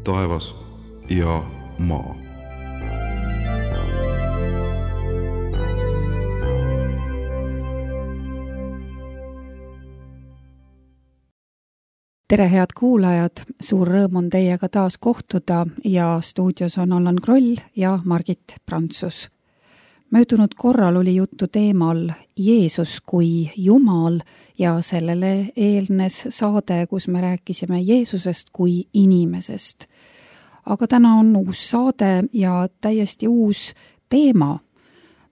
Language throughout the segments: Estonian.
taevas ja maa. Tere, head kuulajad! Suur rõõm on teiega taas kohtuda ja stuudios on Allan Kroll ja Margit Prantsus. Möödunud korral oli juttu teemal Jeesus kui Jumal ja sellele eelnes saade, kus me rääkisime Jeesusest kui inimesest. Aga täna on uus saade ja täiesti uus teema.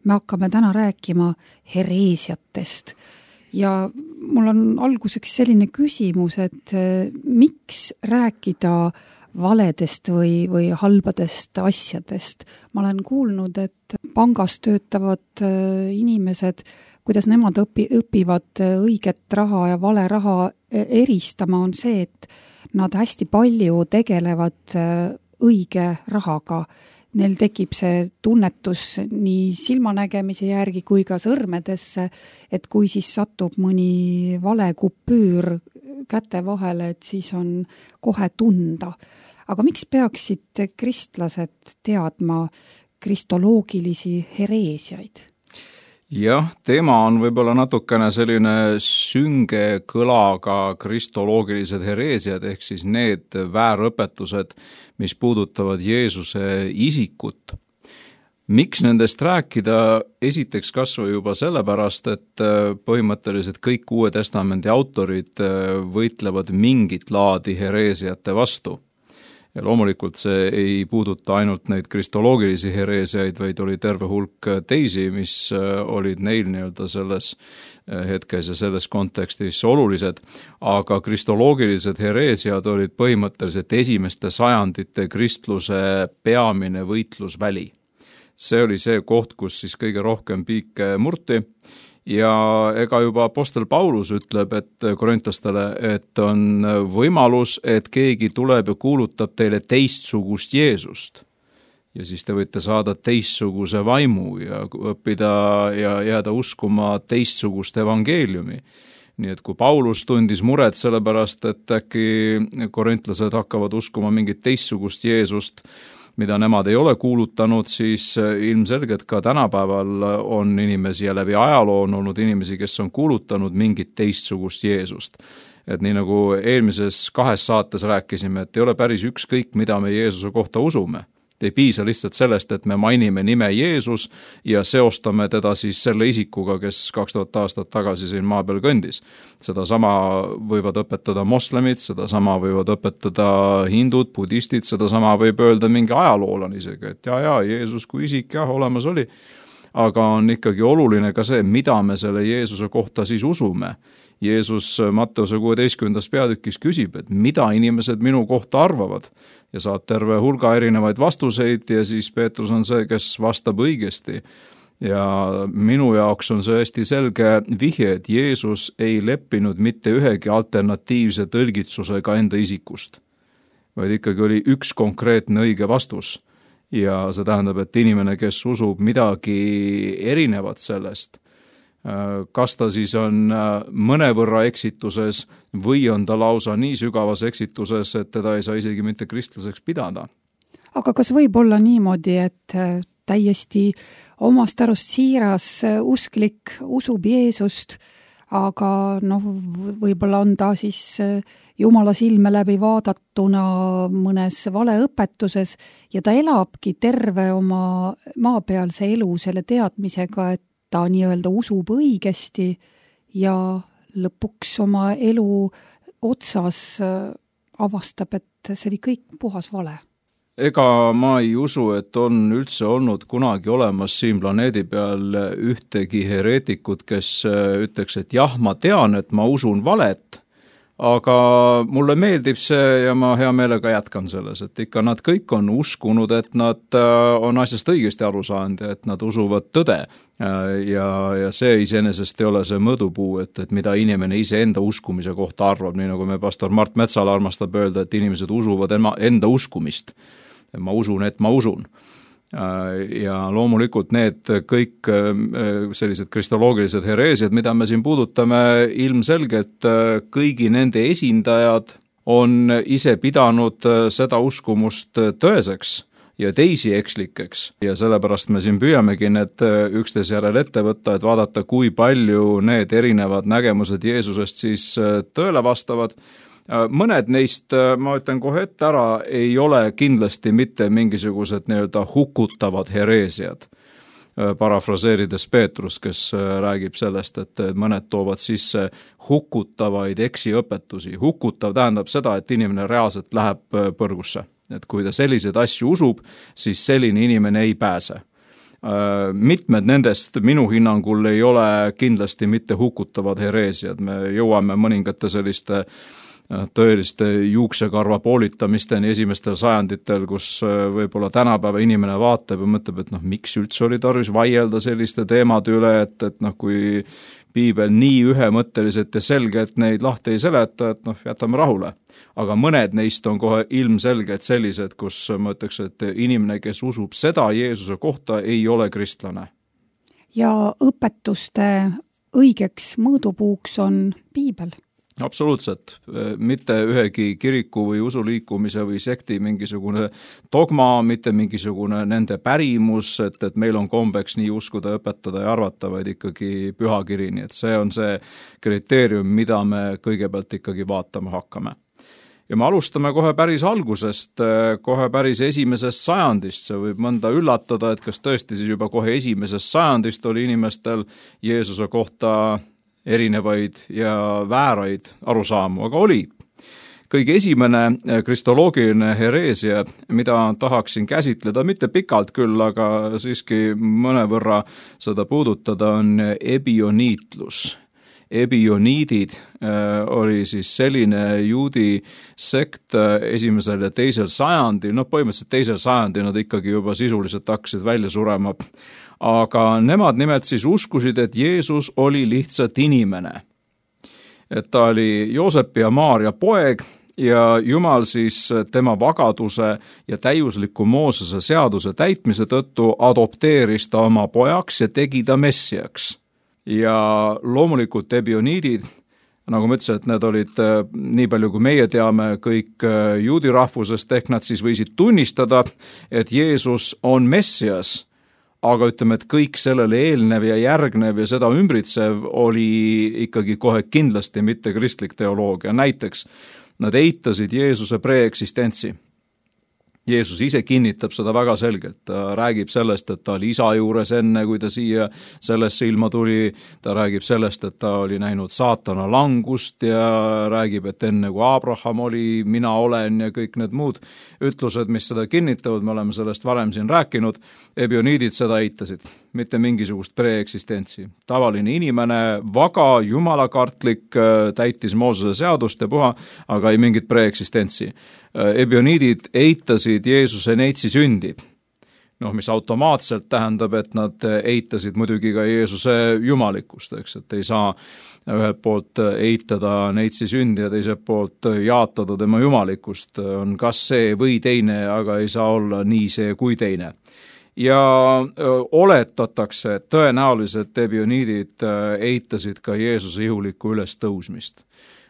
Me hakkame täna rääkima hereesiatest. Ja mul on alguseks selline küsimus, et miks rääkida valedest või halbadest asjadest? Ma olen kuulnud, et pangas töötavad inimesed, kuidas nemad õpivad õiget raha ja vale raha eristama, on see, et nad hästi palju tegelevad õige rahaga. Neil tekib see tunnetus nii silmanägemise järgi kui ka sõrmedesse, et kui siis satub mõni vale kupüür käte vahele, et siis on kohe tunda. Aga miks peaksid kristlased teadma kristoloogilisi hereesiaid? Jah, teema on võib-olla natukene selline sünge kõlaga kristoloogilised hereesiad, ehk siis need väärõpetused, mis puudutavad Jeesuse isikut. Miks nendest rääkida? Esiteks kasvõi juba sellepärast, et põhimõtteliselt kõik Uue Testamendi autorid võitlevad mingit laadi hereesiate vastu. Ja loomulikult see ei puuduta ainult neid kristoloogilisi hereesiaid, vaid oli terve hulk teisi, mis olid neil nii-öelda selles hetkes ja selles kontekstis olulised, aga kristoloogilised hereesiad olid põhimõtteliselt esimeste sajandite kristluse peamine võitlusväli. See oli see koht, kus siis kõige rohkem piike murti. Ja ega juba apostel Paulus ütleb, et korintlastele, et on võimalus, et keegi tuleb ja kuulutab teile teistsugust Jeesust. Ja siis te võite saada teistsuguse vaimu ja õppida ja jääda uskuma teistsugust evangeeliumi. Nii et kui Paulus tundis muret sellepärast, et äkki korintlased hakkavad uskuma mingit teistsugust Jeesust, mida nemad ei ole kuulutanud, siis ilmselgelt ka tänapäeval on inimesi ja läbi ajaloo on olnud inimesi, kes on kuulutanud mingit teistsugust Jeesust. Et nii nagu eelmises 2 saates rääkisime, et ei ole päris ükskõik, mida me Jeesuse kohta usume. Ei piisa lihtsalt sellest, et me mainime nime Jeesus ja seostame teda siis selle isikuga, kes 2000 aastat tagasi siin maa peal kõndis. Seda sama võivad õpetada moslemid, seda sama võivad õpetada hindud, budistid, seda sama võib öelda mingi ajaloolan isegi, et Jeesus kui isik olemas oli. Aga on ikkagi oluline ka see, mida me selle Jeesuse kohta siis usume. Jeesus Matteuse 16. peatükis küsib, et mida inimesed minu kohta arvavad ja saab terve hulga erinevaid vastuseid ja siis Peetrus on see, kes vastab õigesti. Ja minu jaoks on see hästi selge vihje, et Jeesus ei leppinud mitte ühegi alternatiivse tõlgitsusega enda isikust, vaid ikkagi oli üks konkreetne õige vastus. Ja see tähendab, et inimene, kes usub midagi erinevat sellest, kas ta siis on mõnevõrra eksituses või on ta lausa nii sügavas eksituses, et teda ei saa isegi mitte kristlaseks pidada. Aga kas võib olla niimoodi, et täiesti omast arust siiras usklik usub Jeesust, aga võib-olla on ta siis Jumala silme läbi vaadatuna mõnes valeõpetuses ja ta elabki terve oma maapealse elu selle teadmisega, et ta nii-öelda usub õigesti ja lõpuks oma elu otsas avastab, et see oli kõik puhas vale. Ega ma ei usu, et on üldse olnud kunagi olemas siin planeedi peal ühtegi hereetikut, kes ütleks, et jah, ma tean, et ma usun valet, aga mulle meeldib see ja ma hea meelega jätkan selles, et ikka nad kõik on uskunud, et nad on asjast õigesti aru saanud ja et nad usuvad tõde. Ja see iseenesest ei ole see mõõdupuu, et mida inimene ise enda uskumise kohta arvab, nii nagu me pastor Mart Metsala armastab öelda, et inimesed usuvad enda uskumist. Ma usun, et ma usun. Ja loomulikult need kõik sellised kristoloogilised hereesiad, mida me siin puudutame, ilmselgelt kõigi nende esindajad on ise pidanud seda uskumust tõeseks ja teisi ekslikeks ja sellepärast me siin püüamegi need üksteise järel ette võtta, et vaadata, kui palju need erinevad nägemused Jeesusest siis tõele vastavad. Mõned neist, ma ütlen kohe ette ära, ei ole kindlasti mitte mingisugused nii-öelda hukutavad hereesiad. Parafraseerides Peetrust, kes räägib sellest, et mõned toovad sisse hukutavaid eksiõpetusi. Hukutav tähendab seda, et inimene reaalselt läheb põrgusse. Et kui ta selliseid asju usub, siis selline inimene ei pääse. Mitmed nendest minu hinnangul ei ole kindlasti mitte hukutavad hereesiad. Me jõuame mõningate selliste tõeliste juuksekarva poolitamisteni esimestel sajanditel, kus võib-olla tänapäeva inimene vaatab ja mõtleb, et miks üldse oli tarvis vaielda selliste teemade üle, et kui piibel nii ühemõtteliselt ja selgelt neid lahti ei seleta, et jätame rahule. Aga mõned neist on kohe ilmselged sellised, kus ma ütleks, et inimene, kes usub seda Jeesuse kohta, ei ole kristlane. Ja õpetuste õigeks mõõdupuuks on piibel. Absoluutselt. Mitte ühegi kiriku või usuliikumise või sekti mingisugune dogma, mitte mingisugune nende pärimus, et meil on kombeks nii uskuda, õpetada ja arvata, vaid ikkagi pühakiri. Nii et see on see kriteerium, mida me kõigepealt ikkagi vaatama hakkame. Ja me alustame kohe päris algusest, kohe päris esimesest sajandist. See võib mõnda üllatada, et kas tõesti siis juba kohe esimesest sajandist oli inimestel Jeesuse kohta erinevaid ja vääraid arusaamu, aga oli. Kõige esimene kristoloogiline hereesia, mida tahaksin käsitleda, mitte pikalt küll, aga siiski mõnevõrra seda puudutada, on ebioniitlus. Ebioniidid oli siis selline juudi sekt esimesel ja teisel sajandil, põhimõtteliselt teisel sajandil nad ikkagi juba sisuliselt hakkasid välja surema. Aga nemad nimelt siis uskusid, et Jeesus oli lihtsalt inimene. Et ta oli Joosepi ja Maaria poeg ja Jumal siis tema vagaduse ja täiusliku Moosese seaduse täitmise tõttu adopteeris ta oma pojaks ja tegi ta messiaks. Ja loomulikult ebioniidid, nagu ma ütlesin, et need olid nii palju kui meie teame kõik juudi rahvusest, ehk nad siis võisid tunnistada, et Jeesus on messias, aga ütleme, et kõik sellele eelnev ja järgnev ja seda ümbritsev oli ikkagi kohe kindlasti mitte kristlik teoloogia. Näiteks nad eitasid Jeesuse preeksistentsi. Jeesus ise kinnitab seda väga selgelt. Ta räägib sellest, et ta oli isa juures enne, kui ta siia sellesse ilma tuli. Ta räägib sellest, et ta oli näinud saatana langust ja räägib, et enne kui Abraham oli, mina olen ja kõik need muud ütlused, mis seda kinnitavad. Me oleme sellest varem siin rääkinud. Ebioniidid seda eitasid. Mitte mingisugust preeksistentsi. Tavaline inimene, vaga, jumalakartlik, täitis Moosese seadust ja puha, aga ei mingit preeksistentsi. Ebioniidid eitasid Jeesuse neitsi sündi, mis automaatselt tähendab, et nad eitasid muidugi ka Jeesuse jumalikkust, et ei saa ühelt poolt eitada neitsi sündi ja teiselt poolt jaatada tema jumalikkust. On kas see või teine, aga ei saa olla nii see kui teine. Ja oletatakse, et tõenäoliselt ebioniidid eitasid ka Jeesuse ihulikku ülestõusmist.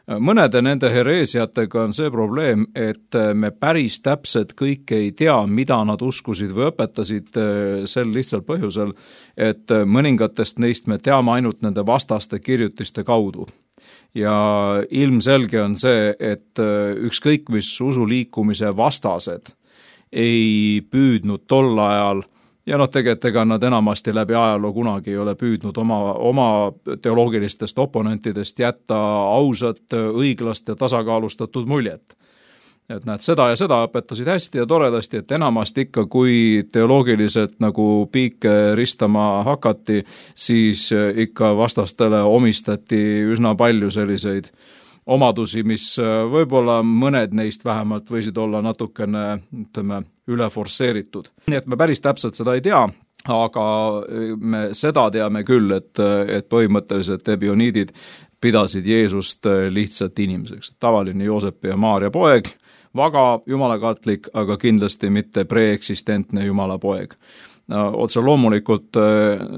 Mõnede nende hereesiatega on see probleem, et me päris täpselt kõike ei tea, mida nad uskusid või õpetasid sel lihtsal põhjusel, et mõningatest neist me teame ainult nende vastaste kirjutiste kaudu. Ja ilmselge on see, et ükskõik mis usuliikumise vastased ei püüdnud tol ajal ja tegelikult ega nad enamasti läbi ajaloo kunagi ei ole püüdnud oma teoloogilistest oponentidest jätta ausat, õiglast ja tasakaalustatud muljet. Et nad seda ja seda õpetasid hästi ja toredasti, et enamasti ikka, kui teoloogiliselt nagu piike ristama hakati, siis ikka vastastele omistati üsna palju selliseid omadusi, mis võib-olla mõned neist vähemalt võisid olla natukene, üle forsseeritud. Nii et me päris täpselt seda ei tea, aga me seda teame küll, et põhimõtteliselt ebioniidid pidasid Jeesust lihtsalt inimeseks. Tavaline Joosepi ja Maaria poeg, vaga jumalakartlik, aga kindlasti mitte preeksistentne jumala poeg. otse loomulikult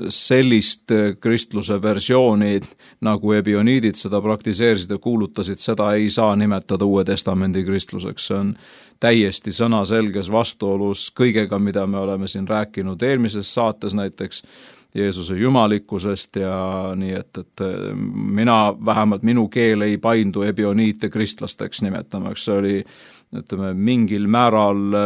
sellist kristluse versiooni, nagu ebioniidid seda praktiseerisid ja kuulutasid, seda ei saa nimetada Uue Testamendi kristluseks. See on täiesti sõnaselges vastuolus kõigega, mida me oleme siin rääkinud eelmises saates näiteks Jeesuse jumalikkusest ja nii, et mina, vähemalt minu keel ei paindu ebioniite kristlasteks nimetamaks. See oli, ütleme, mingil määral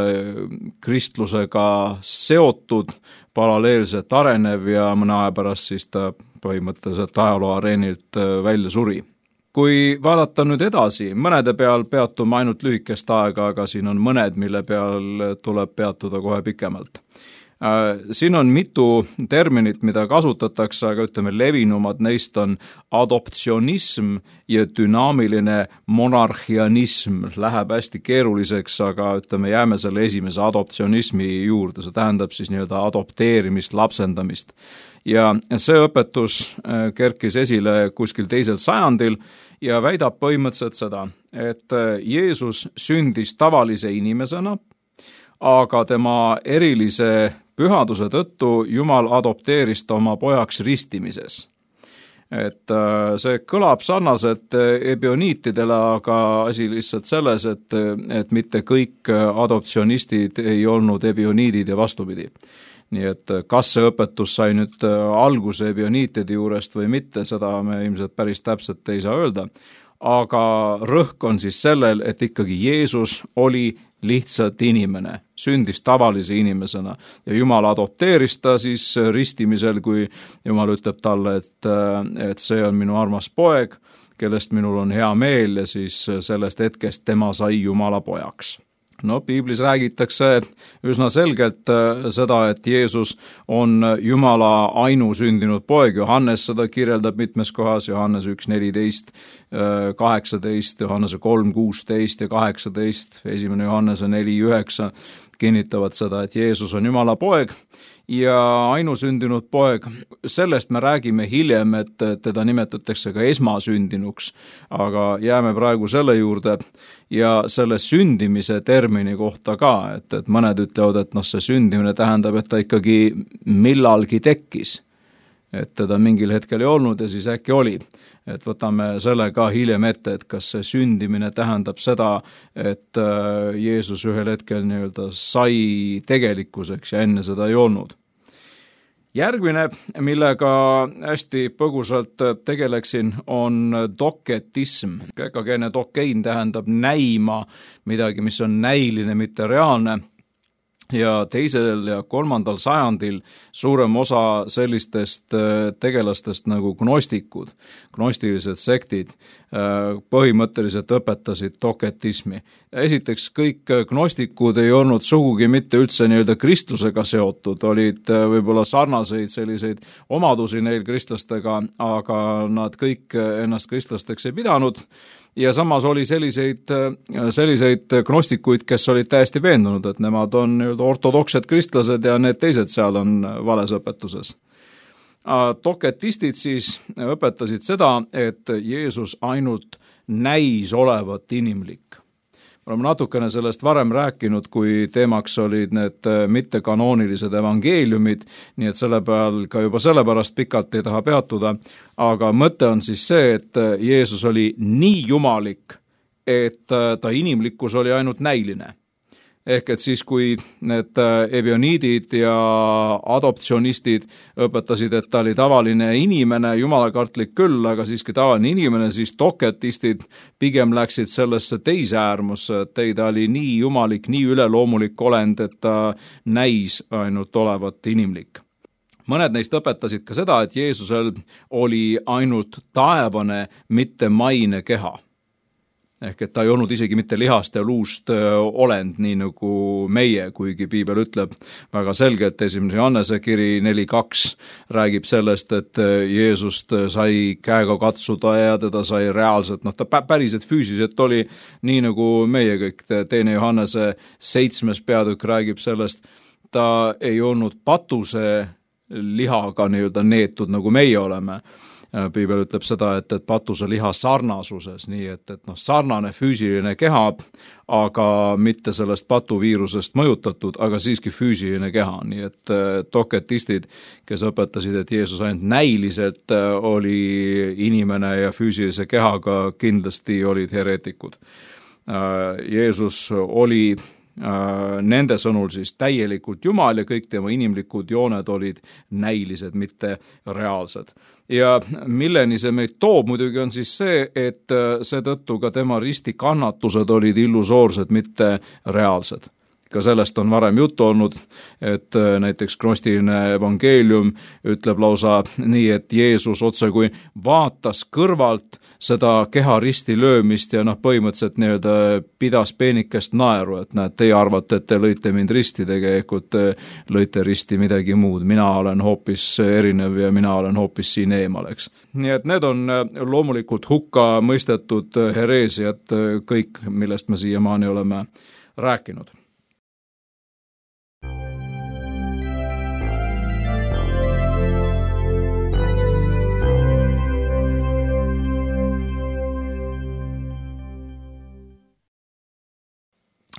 kristlusega seotud, paralleelselt arenev ja mõne aja pärast siis ta põhimõtteliselt ajaloo areenilt välja suri. Kui vaadata nüüd edasi, mõnede peal peatume ainult lühikest aega, aga siin on mõned, mille peal tuleb peatuda kohe pikemalt. Siin on mitu terminit, mida kasutatakse, aga ütleme, levinumad neist on adoptsionism ja dünaamiline monarhianism. Läheb hästi keeruliseks, aga ütleme, jääme selle esimese adoptsionismi juurde. See tähendab siis nii-öelda adopteerimist, lapsendamist. Ja see õpetus kerkis esile kuskil 2. sajandil ja väidab põhimõtteliselt seda, et Jeesus sündis tavalise inimesena, aga tema erilise pühaduse tõttu Jumal adopteeris ta oma pojaks ristimises. Et see kõlab sarnaselt ebioniitidele, aga asi lihtsalt selles, et mitte kõik adoptsionistid ei olnud ebioniidid ja vastupidi. Nii et kas see õpetus sai nüüd alguse ebioniitide juurest või mitte, seda me ilmselt päris täpselt ei saa öelda. Aga rõhk on siis sellel, et ikkagi Jeesus oli lihtsalt inimene, sündis tavalise inimesena ja Jumal adopteeris ta siis ristimisel, kui Jumal ütleb talle, et see on minu armas poeg, kellest minul on hea meel ja siis sellest hetkest tema sai Jumala pojaks. No, piiblis räägitakse üsna selgelt seda, et Jeesus on Jumala ainusündinud poeg. Johannes seda kirjeldab mitmes kohas, Johannes 1:14, 18, Johannese 3:16 ja 18, 1. Johannese 4:9 kinnitavad seda, et Jeesus on Jumala poeg ja ainusündinud poeg. Sellest me räägime hiljem, et teda nimetatakse ka esmasündinuks, aga jääme praegu selle juurde ja selle sündimise termini kohta ka, et mõned ütlevad, et see sündimine tähendab, et ta ikkagi millalgi tekkis, et teda mingil hetkel ei olnud ja siis äkki oli. Et võtame selle ka hiljem ette, et kas see sündimine tähendab seda, et Jeesus ühel hetkel nii-öelda sai tegelikkuseks ja enne seda ei olnud. Järgmine, millega hästi põgusalt tegeleksin, on doketism. Kreekakeelne dokein tähendab näima midagi, mis on näiline, mitte reaalne. Ja 2. ja 3. sajandil suurem osa sellistest tegelastest nagu gnostikud, gnostilised sektid, põhimõtteliselt õpetasid doketismi. Esiteks, kõik gnostikud ei olnud sugugi mitte üldse nii-öelda kristlusega seotud, olid võib-olla sarnaseid selliseid omadusi neil kristlastega, aga nad kõik ennast kristlasteks ei pidanud. Ja samas oli selliseid gnostikuid, kes olid täiesti veendunud, et nemad on ortodoksed kristlased ja need teised seal on vales õpetuses. Doketistid siis õpetasid seda, et Jeesus ainult näis olevat inimlik. Oleme natukene sellest varem rääkinud, kui teemaks olid need mittekanoonilised evangeeliumid, nii et selle peal ka juba sellepärast pikalt ei taha peatuda, aga mõte on siis see, et Jeesus oli nii jumalik, et ta inimlikkus oli ainult näiline. Ehk et siis, kui need ebioniidid ja adoptsionistid õpetasid, et ta oli tavaline inimene, jumalakartlik küll, aga siiski tavaline inimene, siis doketistid pigem läksid sellesse teise äärmusse, et ta oli nii jumalik, nii üleloomulik olend, et ta näis ainult olevat inimlik. Mõned neist õpetasid ka seda, et Jeesusel oli ainult taevane, mitte maine keha. Ehk et ta ei olnud isegi mitte lihast ja luust olend, nii nagu meie, kuigi piibel ütleb väga selgelt, 1. Johannese kiri 4:2 räägib sellest, et Jeesust sai käega katsuda ja teda sai reaalselt, ta päriselt füüsiliselt oli nii nagu meie kõik. 2. Johannese 7. peatükk räägib sellest, ta ei olnud patuse lihaga nii-öelda neetud, nagu meie oleme. Piibel ütleb seda, et patuse liha sarnasuses, nii et sarnane füüsiline keha, aga mitte sellest patuviirusest mõjutatud, aga siiski füüsiline keha, nii et doketistid, kes õpetasid, et Jeesus ainult näiliselt oli inimene ja füüsilise kehaga, kindlasti olid hereetikud. Jeesus oli nende sõnul siis täielikult Jumal ja kõik tema inimlikud jooned olid näilised, mitte reaalsed. Ja milleni see meid toob muidugi on siis see, et seetõttu ka tema ristikannatused olid illusoorsed, mitte reaalsed. Ka sellest on varem juttu olnud, et näiteks gnostiline evangeelium ütleb lausa nii, et Jeesus otse kui vaatas kõrvalt seda keha risti löömist ja põhimõtteliselt nii-öelda pidas peenikest naeru, et näed, teie arvate, et te lõite mind risti, tegelikult lõite risti midagi muud, mina olen hoopis erinev ja mina olen hoopis siin eemal, eks. Nii et need on loomulikult hukka mõistetud hereesiad, kõik, millest me siiamaani oleme rääkinud.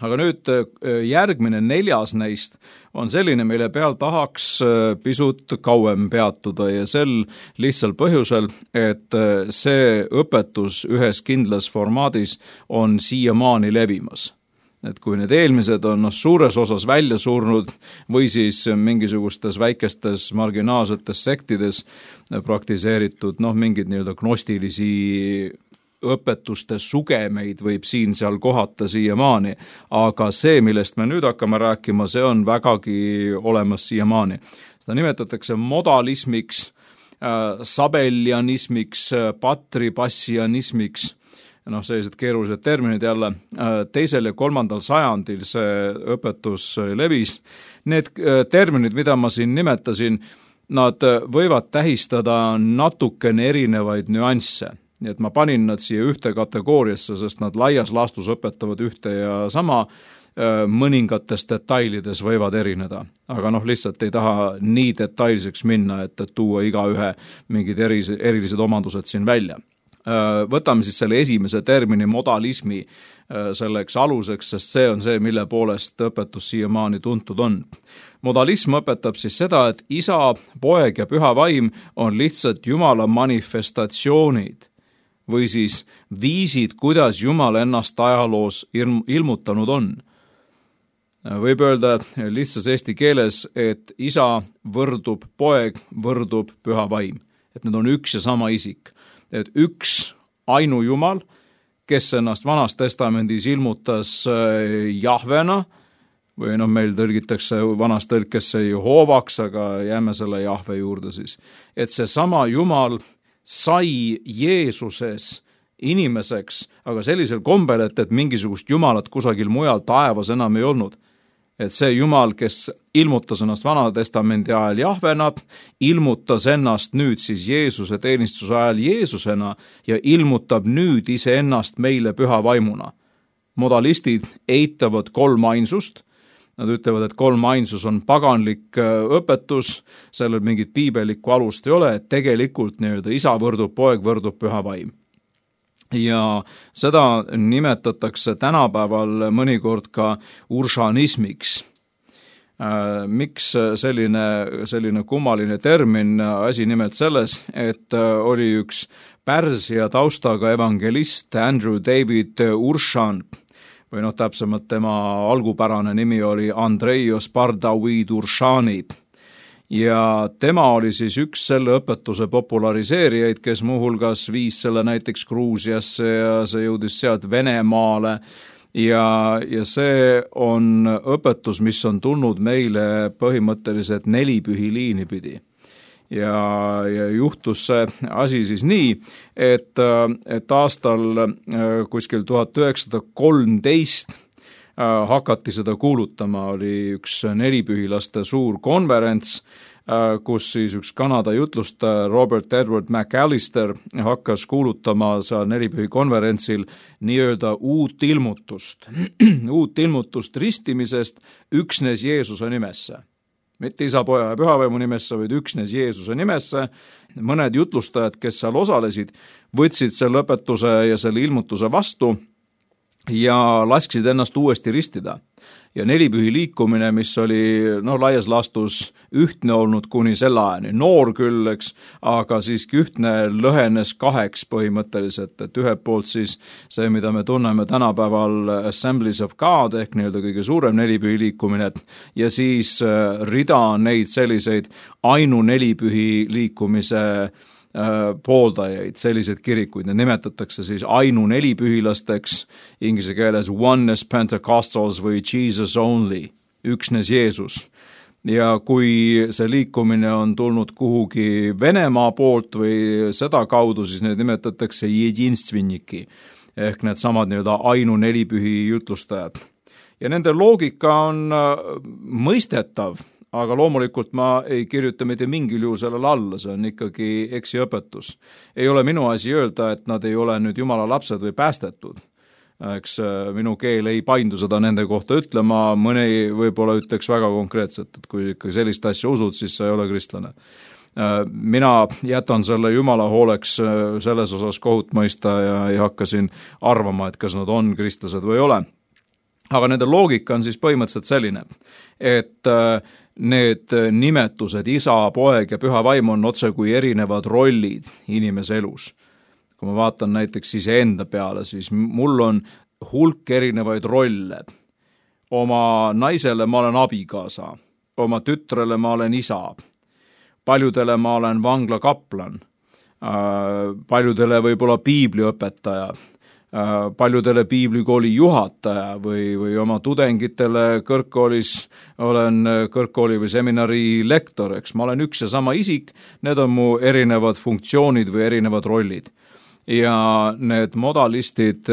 Aga nüüd järgmine 4. neist on selline, mille peal tahaks pisut kauem peatuda ja sel lihtsal põhjusel, et see õpetus ühes kindlas formaadis on siiamaani levimas. Et kui need eelmised on suures osas välja surnud või siis mingisugustes väikestes marginaalsetes sektides praktiseeritud mingid nii-öelda gnostilisi õpetuste sugemeid võib siin-seal kohata siiamaani, aga see, millest me nüüd hakkame rääkima, see on vägagi olemas siiamaani. Seda nimetatakse modalismiks, sabellianismiks, patripassianismiks, sellised keerulised terminid jälle. 2. ja 3. sajandil see õpetus levis. Need terminid, mida ma siin nimetasin, nad võivad tähistada natukene erinevaid nüansse. Nii et ma panin nad siia ühte kategooriasse, sest nad laias laastus õpetavad ühte ja sama, mõningates detailides võivad erineda. Aga lihtsalt ei taha nii detailseks minna, et tuua igaühe mingid erilised omandused siin välja. Võtame siis selle esimese termini modalismi selleks aluseks, sest see on see, mille poolest õpetus siiamaani tuntud on. Modalism õpetab siis seda, et isa, poeg ja püha vaim on lihtsalt Jumala manifestatsioonid või siis viisid, kuidas Jumal ennast ajaloos ilmutanud on. Võib öelda lihtsas eesti keeles, et isa võrdub poeg, võrdub püha vaim. Et need on üks ja sama isik. Et üks ainu Jumal, kes ennast Vanas Testamendis ilmutas Jahvena, või meil tõlgitakse vanas tõlkesse Jehovaks, aga jääme selle Jahve juurde siis. Et see sama Jumal sai Jeesuses inimeseks, aga sellisel kombel, et mingisugust Jumalat kusagil mujal taevas enam ei olnud. Et see Jumal, kes ilmutas ennast Vana Testamendi ajal Jahvena, ilmutas ennast nüüd siis Jeesuse teenistuse ajal Jeesusena ja ilmutab nüüd iseennast meile püha vaimuna. Modalistid eitavad kolmainsust. Nad ütlevad, et kolmainsus on paganlik õpetus, sellel mingit piibelikku alust ei ole, et tegelikult nii-öelda isa võrdub, poeg võrdub, püha vaim. Ja seda nimetatakse tänapäeval mõnikord ka uršanismiks. Miks selline kummaline termin? Asi nimelt selles, et oli üks Pärsia taustaga evangelist Andrew David Urshan, või täpsemalt tema algupärane nimi oli Andreios Pardavid Urshani. Ja tema oli siis üks selle õpetuse populariseerijaid, kes muuhulgas viis selle näiteks Gruusiasse ja see jõudis sealt Venemaale. Ja see on õpetus, mis on tulnud meile põhimõtteliselt 4 pühiliini pidi. Ja juhtus see asi siis nii, et aastal kuskil 1913 hakati seda kuulutama, oli üks 4-pühilaste suur konverents, kus siis üks Kanada jutlustaja Robert Edward McAllister hakkas kuulutama seal 4-pühi konverentsil nii-öelda uut ilmutust ristimisest üksnes Jeesuse nimesse. mitte Isa, Poja ja Pühavaimu nimesse, vaid üksnes Jeesuse nimesse. Mõned jutlustajad, kes seal osalesid, võtsid selle õpetuse ja selle ilmutuse vastu ja lasksid ennast uuesti ristida. Ja nelipühi liikumine, mis oli laias laastus ühtne olnud kuni selle ajani, noor küll, eks, aga siiski ühtne, lõhenes kaheks põhimõtteliselt, et ühelt poolt siis see, mida me tunneme tänapäeval Assemblies of God ehk nii-öelda kõige suurem nelipühi liikumine ja siis rida neid selliseid nelipühi liikumise pooldajaid, selliseid kirikuid, need nimetatakse siis nelipühilasteks, inglise keeles Oneness Pentecostals või Jesus Only, üksnes Jeesus. Ja kui see liikumine on tulnud kuhugi Venemaa poolt või seda kaudu, siis need nimetatakse jedinstvinniki ehk need samad nii-öelda nelipühi jutlustajad. Ja nende loogika on mõistetav, aga loomulikult ma ei kirjuta mitte mingil juhul sellele alla, see on ikkagi eksiõpetus. Ei ole minu asi öelda, et nad ei ole nüüd Jumala lapsed või päästetud. Eks minu keel ei paindu seda nende kohta ütlema, mõni võib-olla ütleks väga konkreetselt, et kui ikka sellist asja usud, siis sa ei ole kristlane. Mina jätan selle Jumala hooleks selles osas kohut mõista ja ei hakka siin arvama, et kas nad on kristlased või ei ole. Aga nende loogika on siis põhimõtteliselt selline, et need nimetused, Isa, Poeg ja Püha Vaim on otse kui erinevad rollid inimese elus. Kui ma vaatan näiteks iseenda peale, siis mul on hulk erinevaid rolle. Oma naisele ma olen abikaasa, oma tütrele ma olen isa, paljudele ma olen vanglakaplan, paljudele võib-olla piibliõpetaja, paljudele piiblikooli juhataja või oma tudengitele kõrgkoolis olen kõrgkooli või seminari lektor, eks ma olen üks ja sama isik, need on mu erinevad funktsioonid või erinevad rollid. Ja need modalistid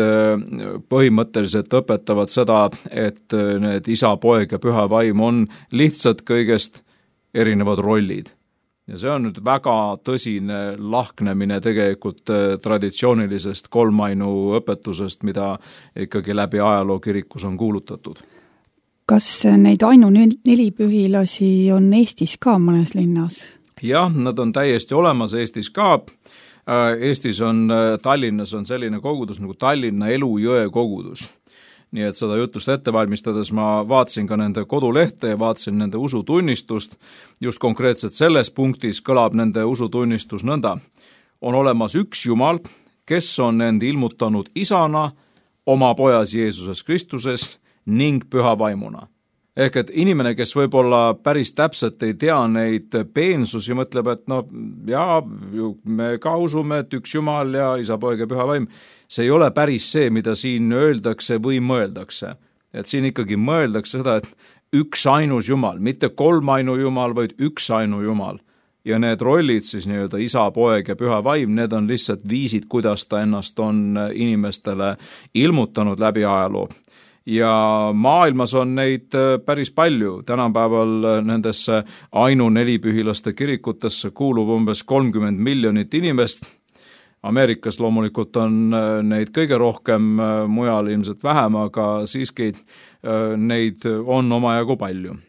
põhimõtteliselt õpetavad seda, et need Isa, Poeg ja Püha Vaim on lihtsalt kõigest erinevad rollid. Ja see on nüüd väga tõsine lahknemine tegelikult traditsioonilisest kolmainu õpetusest, mida ikkagi läbi ajaloo kirikus on kuulutatud. Kas neid nelipühilasi on Eestis ka mõnes linnas? Jah, nad on täiesti olemas Eestis ka. Eestis on, Tallinnas on selline kogudus nagu Tallinna Elujõe kogudus. Nii et seda jutust ette valmistades ma vaatasin ka nende kodulehte ja vaatasin nende usutunnistust. Just konkreetselt selles punktis kõlab nende usutunnistus nõnda. On olemas üks Jumal, kes on end ilmutanud isana, oma pojas Jeesuses Kristuses ning Püha Vaimuna. Ehk et inimene, kes võib-olla päris täpselt ei tea neid peensusi, mõtleb, et me ka usume, et üks Jumal ja Isa, Poeg ja Püha Vaim, see ei ole päris see, mida siin öeldakse või mõeldakse. Et siin ikkagi mõeldakse seda, et üks ainus Jumal, mitte kolmainu Jumal, vaid üks ainu Jumal. Ja need rollid siis nii-öelda Isa, Poeg ja Püha Vaim, need on lihtsalt viisid, kuidas ta ennast on inimestele ilmutanud läbi ajaloo. Ja maailmas on neid päris palju. Tänapäeval nendesse nelipühilaste kirikutesse kuulub umbes 30 miljonit inimest. Ameerikas loomulikult on neid kõige rohkem, mujal ilmselt vähem, aga siiski neid on omajagu palju.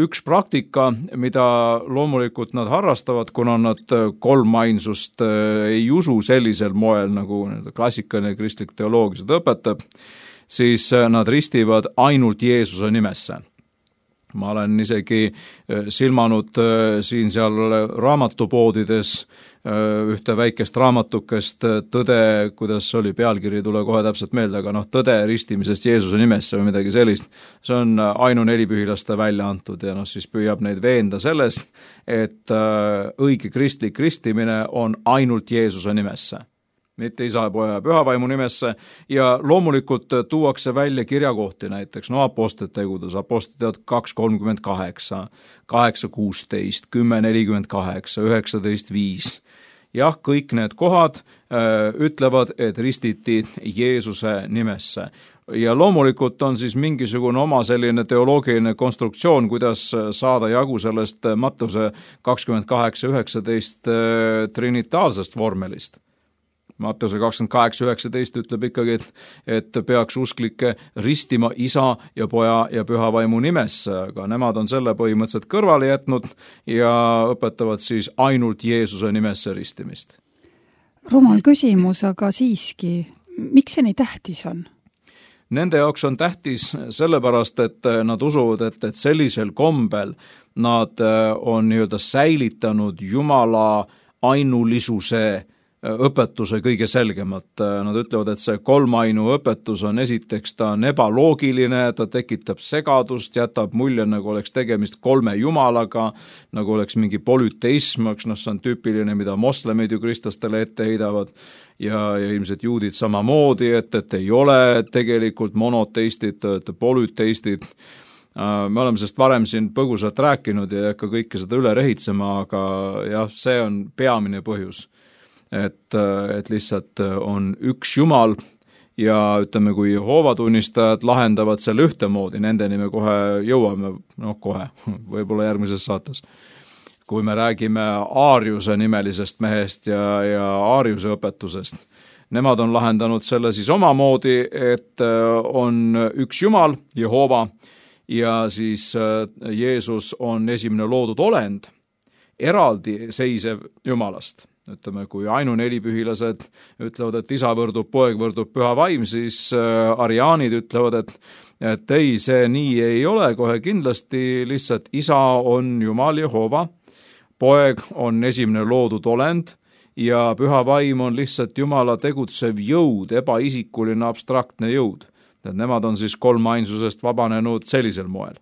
Üks praktika, mida loomulikult nad harrastavad, kuna nad kolmainsust ei usu sellisel moel, nagu klassikaline kristlik teoloogia seda õpetab, siis nad ristivad ainult Jeesuse nimesse. Ma olen isegi silmanud siin-seal raamatupoodides ühte väikest raamatukest Tõde, kuidas oli pealkiri, tule kohe täpselt meelde, aga tõde ristimisest Jeesuse nimesse või midagi sellist. See on nelipühilaste välja antud ja siis püüab neid veenda selles, et õige kristlik ristimine on ainult Jeesuse nimesse, mitte Isa, Poja ja Püha Vaimu nimesse ja loomulikult tuuakse välja kirjakohti näiteks, apostlite tegudes, apostlite 2:38, 8:16, 10:48, 19:5. Jah, kõik need kohad ütlevad, et ristiti Jeesuse nimesse. Ja loomulikult on siis mingisugune oma selline teoloogiline konstruktsioon, kuidas saada jagu sellest Mattuse 28:19 trinitaalsest vormelist. Matteuse 28:19 ütleb ikkagi, et peaks usklikke ristima Isa ja Poja ja Püha Vaimu nimesse, aga nemad on selle põhimõtteliselt kõrvale jätnud ja õpetavad siis ainult Jeesuse nimesse ristimist. Rumal küsimus, aga siiski, miks see nii tähtis on? Nende jaoks on tähtis sellepärast, et nad usuvad, et sellisel kombel nad on nii-öelda säilitanud Jumala ainulisuse õpetuse kõige selgemalt. Nad ütlevad, et see kolmainu õpetus on esiteks, ta on ebaloogiline, ta tekitab segadust, jätab mulje, nagu oleks tegemist kolme jumalaga, nagu oleks mingi polüteism, see on tüüpiline, mida moslemid ju kristlastele ette heidavad ja ilmselt juudid samamoodi, et ei ole tegelikult monoteistid, polüteistid. Me oleme sellest varem siin põgusalt rääkinud ja ei hakka kõike seda üle rehitsema, aga jah, see on peamine põhjus. Et lihtsalt on üks Jumal ja ütleme, kui Jehoova tunnistajad lahendavad selle ühtemoodi, nendeni me kohe jõuame, kohe, võib-olla järgmises saates. Kui me räägime Aariuse nimelisest mehest ja Aariuse õpetusest, nemad on lahendanud selle siis omamoodi, et on üks Jumal, Jehoova, ja siis Jeesus on esimene loodud olend, eraldi seisev Jumalast. Ütleme, kui ainunelipühilased ütlevad, et Isa võrdub, Poeg võrdub, Püha Vaim, siis ariaanid ütlevad, et ei, see nii ei ole, kohe kindlasti lihtsalt Isa on Jumal Jehoova, Poeg on esimene loodud olend ja Püha Vaim on lihtsalt Jumala tegutsev jõud, ebaisikuline abstraktne jõud. Nemad on siis kolmainsusest vabanenud sellisel moel.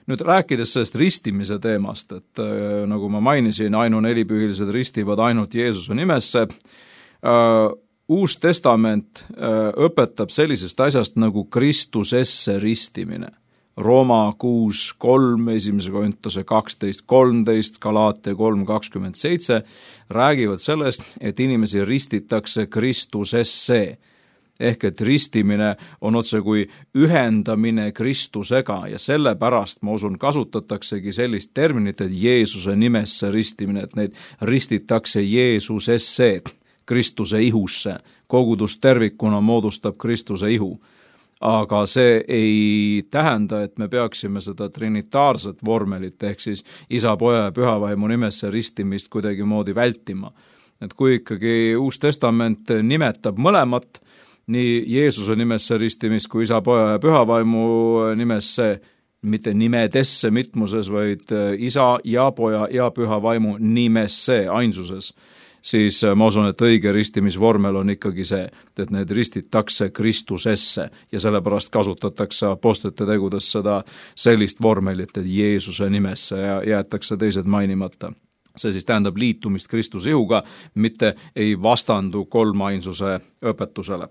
Nüüd rääkides sellest ristimise teemast, et nagu ma mainisin, ainunelipühilised ristivad ainult Jeesuse nimesse. Uus testament õpetab sellisest asjast nagu Kristusesse ristimine. Rooma 6:3, 1. Korintuse 12:13, Galaatia 3:27 räägivad sellest, et inimesi ristitakse Kristusesse. Ehk et ristimine on otse kui ühendamine Kristusega ja sellepärast, ma usun, kasutataksegi sellist terminit, et Jeesuse nimesse ristimine, et neid ristitakse Jeesusesse, Kristuse ihusse. Kogudus tervikuna moodustab Kristuse ihu. Aga see ei tähenda, et me peaksime seda trinitaarset vormelit, ehk siis Isa, Poja ja Püha Vaimu nimesse ristimist kuidagi moodi vältima. Et kui ikkagi Uus Testament nimetab mõlemat, nii Jeesuse nimesse ristimist kui Isa, Poja ja Püha Vaimu nimesse, mitte nimedesse mitmuses, vaid Isa ja Poja ja Püha Vaimu nimesse ainsuses, siis ma usun, et õige ristimisvormel on ikkagi see, et need ristitakse Kristusesse ja sellepärast kasutatakse apostlite tegudes seda sellist vormelit, et Jeesuse nimesse ja jäetakse teised mainimata. See siis tähendab liitumist Kristuse ihuga, mitte ei vastandu kolmainsuse õpetusele.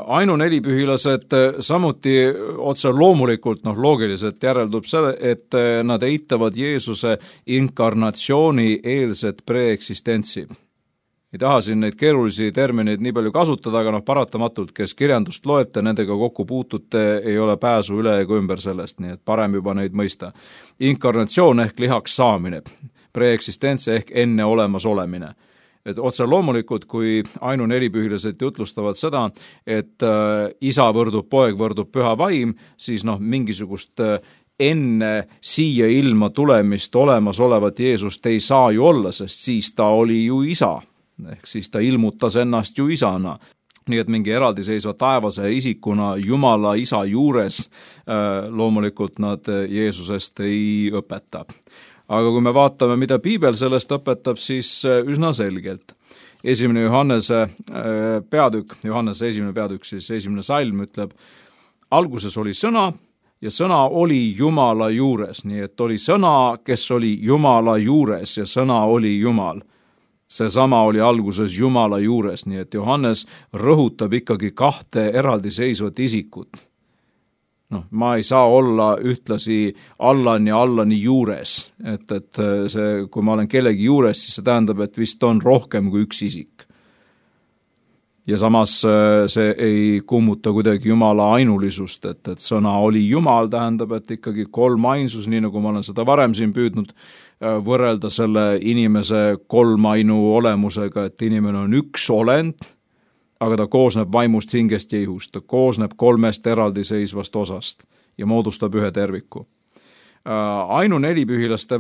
Ainunelipühilased samuti otse loomulikult, loogiliselt järeldub see, et nad eitavad Jeesuse inkarnatsiooni eelset preeksistentsi. Ei taha siin neid keerulisi termineid nii palju kasutada, aga paratamatult, kes kirjandust loete, nendega kokku puutute, ei ole pääsu üle ega ümber sellest, nii et parem juba neid mõista. Inkarnatsioon ehk lihaks saamine, preeksistents ehk enne olemas olemine. Et otse loomulikult, kui ainunelipühilased jutlustavad seda, et Isa võrdub, Poeg võrdub, Püha Vaim, siis mingisugust enne siia ilma tulemist olemasolevat Jeesust ei saa ju olla, sest siis ta oli ju Isa, ehk siis ta ilmutas ennast ju Isana. Nii et mingi eraldiseisva taevase isikuna Jumala Isa juures loomulikult nad Jeesusest ei õpeta. Aga kui me vaatame, mida Piibel sellest õpetab, siis üsna selgelt. Johannese esimene peatükk, siis esimene salm ütleb, alguses oli sõna ja sõna oli Jumala juures, nii et oli sõna, kes oli Jumala juures ja sõna oli Jumal. Seesama oli alguses Jumala juures, nii et Johannes rõhutab ikkagi kahte eraldiseisvat isikut. Ma ei saa olla ühtlasi Allan ja Allani juures, et see, kui ma olen kellegi juures, siis see tähendab, et vist on rohkem kui üks isik. Ja samas see ei kummuta kuidagi Jumala ainulisust, et sõna oli Jumal, tähendab, et ikkagi kolmainsus, nii nagu ma olen seda varem siin püüdnud võrrelda selle inimese kolmainu olemusega, et inimene on üks olend, aga ta koosneb vaimust, hingest ja ihust. Ta koosneb 3 eraldiseisvast osast ja moodustab ühe terviku. Ainunelipühilaste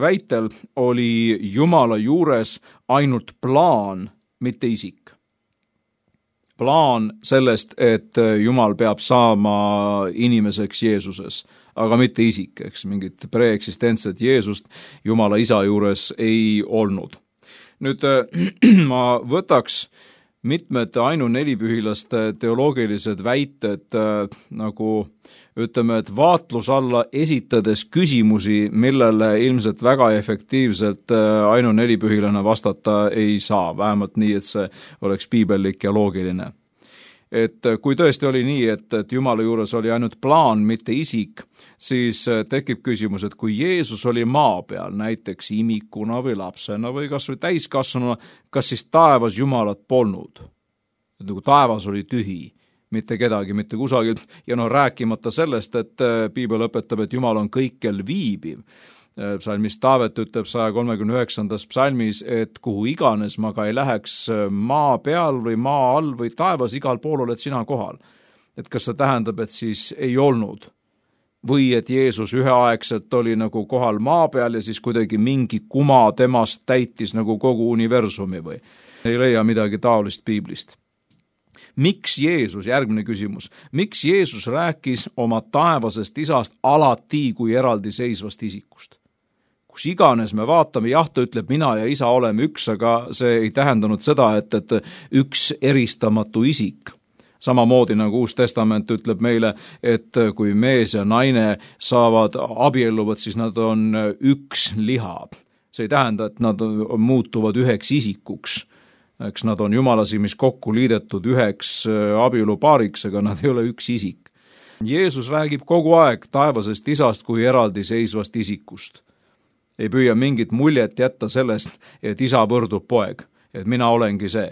väitel oli Jumala juures ainult plaan, mitte isik. Plaan sellest, et Jumal peab saama inimeseks Jeesuses, aga mitte isik, eks mingit preeksistentset Jeesust Jumala isa juures ei olnud. Nüüd ma võtaks mitmed ainunelipühilaste teoloogilised väited nagu ütleme, et vaatlus alla esitades küsimusi, millele ilmselt väga efektiivselt ainunelipühilane vastata ei saa, vähemalt nii, et see oleks piibellik ja loogiline. Et kui tõesti oli nii, et Jumala juures oli ainult plaan, mitte isik, siis tekib küsimus, et kui Jeesus oli maa peal, näiteks imikuna või lapsena või kas või täiskasvanuna, kas siis taevas Jumalat polnud? Nagu taevas oli tühi, mitte kedagi, mitte kusagilt, ja rääkimata sellest, et piibel õpetab, et Jumal on kõikjal viibiv. Psalmis Taavet ütleb 139. psalmis, et kuhu iganes ma ka ei läheks maa peal või maa all või taevas, igal pool oled sina kohal. Et kas see tähendab, et siis ei olnud? Või et Jeesus üheaegselt oli nagu kohal maa peal ja siis kuidagi mingi kuma temast täitis nagu kogu universumi või? Ei leia midagi taolist piiblist. Miks Jeesus, järgmine küsimus, miks Jeesus rääkis oma taevasest isast alati kui eraldiseisvast isikust? Kus iganes me vaatame, jah, ta ütleb, mina ja isa oleme üks, aga see ei tähendanud seda, et üks eristamatu isik. Samamoodi nagu Uus Testament ütleb meile, et kui mees ja naine saavad abielluvad, siis nad on üks liha. See ei tähenda, et nad muutuvad üheks isikuks. Eks nad on Jumala silmis kokku liidetud üheks abielupaariks, aga nad ei ole üks isik. Jeesus räägib kogu aeg taevasest isast kui eraldiseisvast isikust. Ei püüa mingit muljet jätta sellest, et isa võrdub poeg, et mina olengi see.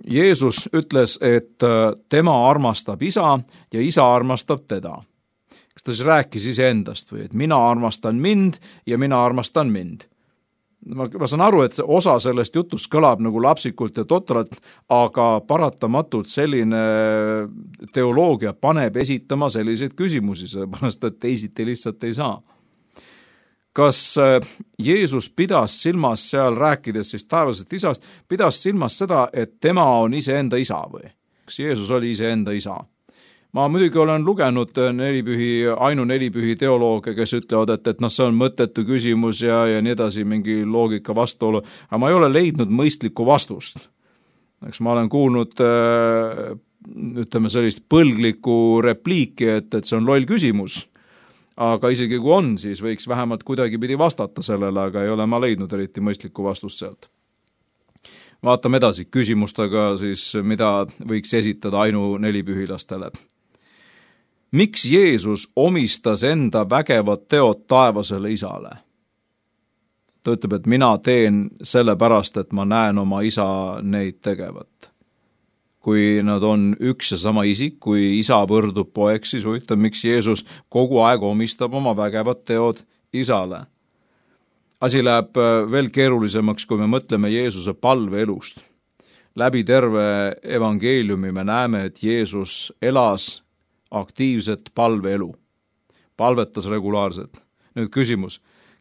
Jeesus ütles, et tema armastab isa ja isa armastab teda. Kas ta siis rääkis iseendast või, et mina armastan mind ja mina armastan mind? Ma saan aru, et osa sellest jutust kõlab nagu lapsikult ja totralt, aga paratamatult selline teoloogia paneb esitama selliseid küsimusi, sellepärast et teisiti lihtsalt ei saa. Kas Jeesus pidas silmas seal rääkides siis taevasest isast, pidas silmas seda, et tema on iseenda isa või? Kas Jeesus oli iseenda isa? Ma muidugi olen lugenud ainunelipühi teolooge, kes ütlevad, et see on mõttetu küsimus ja nii edasi, mingi loogika vastuolu, aga ma ei ole leidnud mõistlikku vastust. Eks ma olen kuulnud, ütleme sellist põlglikku repliiki, et see on loll küsimus, aga isegi kui on, siis võiks vähemalt kuidagi pidi vastata sellele, aga ei ole ma leidnud eriti mõistlikku vastust sealt. Vaatame edasi küsimustega siis, mida võiks esitada ainunelipühilastele. Miks Jeesus omistas enda vägevad teod taevasele isale? Ta ütleb, et mina teen sellepärast, et ma näen oma isa neid tegevat. Kui nad on üks ja sama isik, kui isa võrdub poeg, siis ütleb, miks Jeesus kogu aeg omistab oma vägevad teod isale. Asi läheb veel keerulisemaks, kui me mõtleme Jeesuse palveelust. Läbi terve evangeeliumi me näeme, et Jeesus elas aktiivset palveelu. Palvetas regulaarselt. Nüüd küsimus,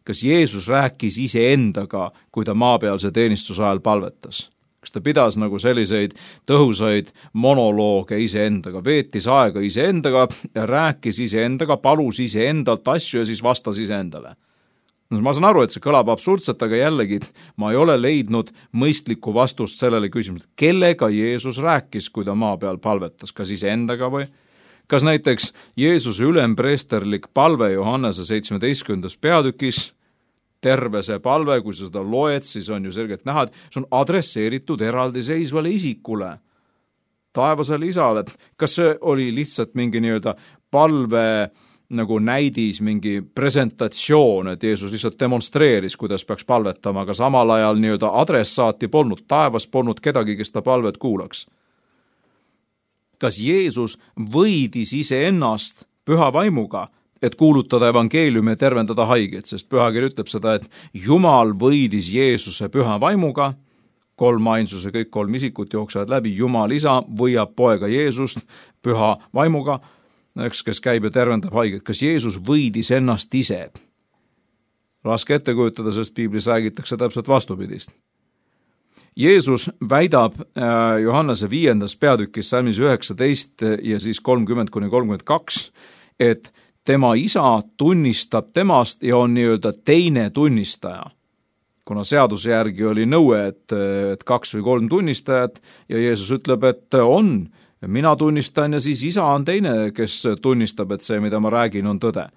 kas Jeesus rääkis iseendaga, kui ta maapealse teenistuse ajal palvetas? Kas ta pidas nagu selliseid tõhusaid monolooge iseendaga, veetis aega iseendaga ja rääkis iseendaga, palus iseendalt asju ja siis vastas iseendale? Ma saan aru, et see kõlab absurdselt, aga jällegi ma ei ole leidnud mõistlikku vastust sellele küsimusele, kellega Jeesus rääkis, kui ta maa peal palvetas, kas iseendaga või? Kas näiteks Jeesuse ülempreesterlik palve Johannese 17. peatükis, terve see palve, kui sa seda loed, siis on ju selgelt näha, et see on adresseeritud eraldiseisvale isikule, taevasele isale. Kas see oli lihtsalt mingi nii-öelda palve nagu näidis, mingi presentatsioon, et Jeesus lihtsalt demonstreeris, kuidas peaks palvetama, aga samal ajal nii-öelda adressaati polnud, taevas polnud kedagi, kes ta palvet kuulaks? Kas Jeesus võidis iseennast püha vaimuga, et kuulutada evangeeliumi ja tervendada haigeid, sest pühakiri ütleb seda, et Jumal võidis Jeesuse püha vaimuga, kolmainsuse, kõik kolm isikut jooksevad läbi, Jumal isa võiab poega Jeesust püha vaimuga, kes käib ja tervendab haigeid. Kas Jeesus võidis ennast ise? Raske ette kujutada, sest piiblis räägitakse täpselt vastupidist. Jeesus väidab Johannese 5. peatükis salmis 19 ja siis 30-32, et tema isa tunnistab temast ja on nii-öelda teine tunnistaja. Kuna seaduse järgi oli nõue, et 2 või 3 tunnistajat ja Jeesus ütleb, et on, mina tunnistan ja siis isa on teine, kes tunnistab, et see, mida ma räägin, on tõde.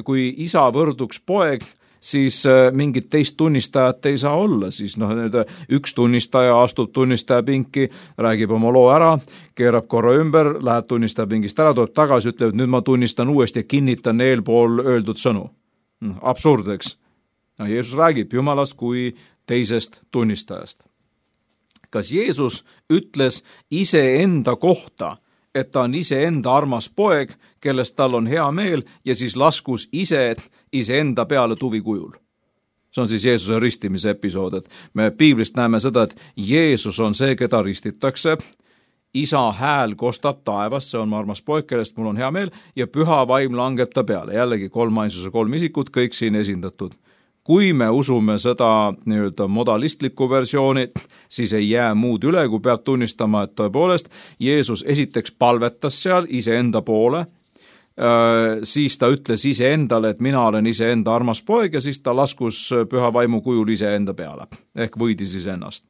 Kui isa võrduks poeg, siis mingit teist tunnistajat ei saa olla, siis üks tunnistaja astub tunnistaja pinki, räägib oma loo ära, keerab korra ümber, läheb tunnistaja pingist ära, tuleb tagasi, ütleb, et nüüd ma tunnistan uuesti ja kinnitan eelpool öeldud sõnu. Absurd, eks? Jeesus räägib Jumalast kui teisest tunnistajast. Kas Jeesus ütles iseenda kohta, et ta on iseenda armas poeg, kellest tal on hea meel ja siis laskus iseenda peale tuvikujul? See on siis Jeesuse ristimise episood, et me piiblist näeme seda, et Jeesus on see, keda ristitakse, isa hääl kostab taevast, see on mu armas poeg, kellest mul on hea meel ja püha vaim langeb ta peale. Jällegi kolmainsuse 3 isikut, kõik siin esindatud. Kui me usume seda nii-öelda modalistlikku versiooni, siis ei jää muud üle, kui peab tunnistama, et tõepoolest Jeesus esiteks palvetas seal iseenda poole, siis ta ütles iseendale, et mina olen iseenda armas poeg ja siis ta laskus püha vaimu kujul iseenda peale, ehk võidis iseennast.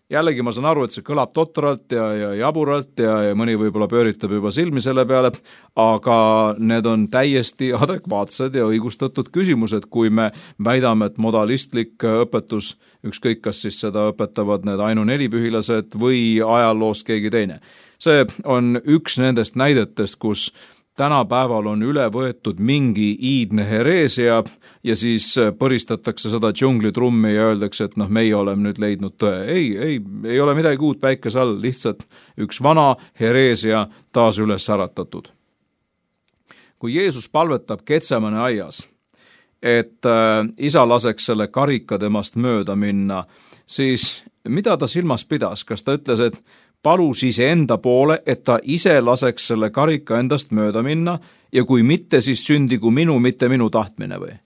Jällegi ma saan aru, et see kõlab totralt ja jaburalt ja mõni võib-olla pööritab juba silmi selle peale, aga need on täiesti adekvaatsed ja õigustatud küsimused, kui me väidame, et modalistlik õpetus, ükskõik kas siis seda õpetavad need ainunelipühilased või ajaloost keegi teine. See on üks nendest näidetest, kus tänapäeval on üle võetud mingi iidne hereesia ja siis põristatakse seda džunglitrummi ja öeldakse, et meie oleme nüüd leidnud tõe. Ei ole midagi uut päikese all, lihtsalt üks vana hereesia taas üles äratatud. Kui Jeesus palvetab Getsemane aias, et isa laseks selle karika temast mööda minna, siis mida ta silmas pidas? Kas ta ütles, et palus iseenda poole, et ta ise laseks selle karika endast mööda minna ja kui mitte, siis sündigu minu, mitte minu tahtmine või?